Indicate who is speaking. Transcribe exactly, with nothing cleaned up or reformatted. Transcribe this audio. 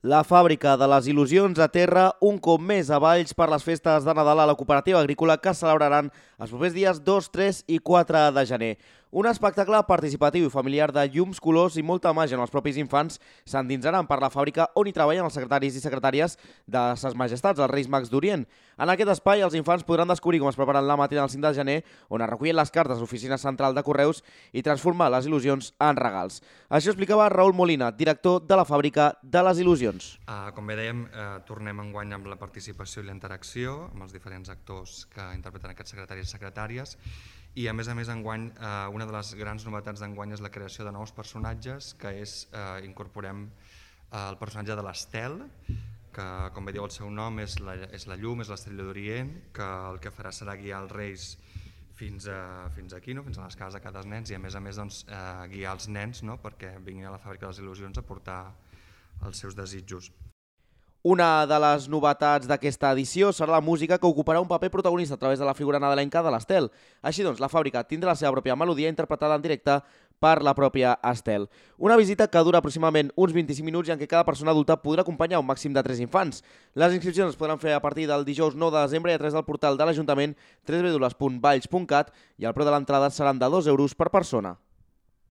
Speaker 1: La fàbrica de les il·lusions aterra un cop més a Valls per les festes de Nadal a la cooperativa agrícola que es celebraran els propers dies dos, tres i quatre de gener. Un espectacle participatiu i familiar de llums, colors i molta màgia en els propis infants s'endinsaran per la fàbrica on hi treballen els secretaris i secretàries de Ses Majestats, els Reis Mags d'Orient. En aquest espai els infants podran descobrir com es preparen la matina del cinc de gener, on es recullen les cartes a l'oficina central de correus i transformar les il·lusions en regals. Això explicava Raül Molina, director de la fàbrica de les il·lusions.
Speaker 2: Uh, com bé dèiem, uh, tornem enguany amb la participació i la interacció amb els diferents actors que interpreten aquests secretaris i secretàries, i a més a més enguany uh, una de les grans novetats d'enguany és la creació de nous personatges, que és, uh, incorporem uh, el personatge de l'Estel, que com bé diu el seu nom és la, és la llum, és l'estrella d'Orient, que el que farà serà guiar els reis fins, a, fins aquí, no? Fins a les cases de cada nens, i a més a més doncs, uh, guiar els nens, no? Perquè vinguin a la fàbrica de les il·lusions a portar els seus desitjos.
Speaker 1: Una de les novetats d'aquesta edició serà la música, que ocuparà un paper protagonista a través de la figura nadalenca de l'Estel. Així doncs, la fàbrica tindrà la seva pròpia melodia interpretada en directe per la pròpia Estel. Una visita que dura aproximadament uns vint-i-cinc minuts i en què cada persona adulta podrà acompanyar un màxim de tres infants. Les inscripcions es podran fer a partir del dijous nou de desembre i a través del portal de l'Ajuntament w w w punt valls punt cat i el preu de l'entrada seran de dos euros per persona.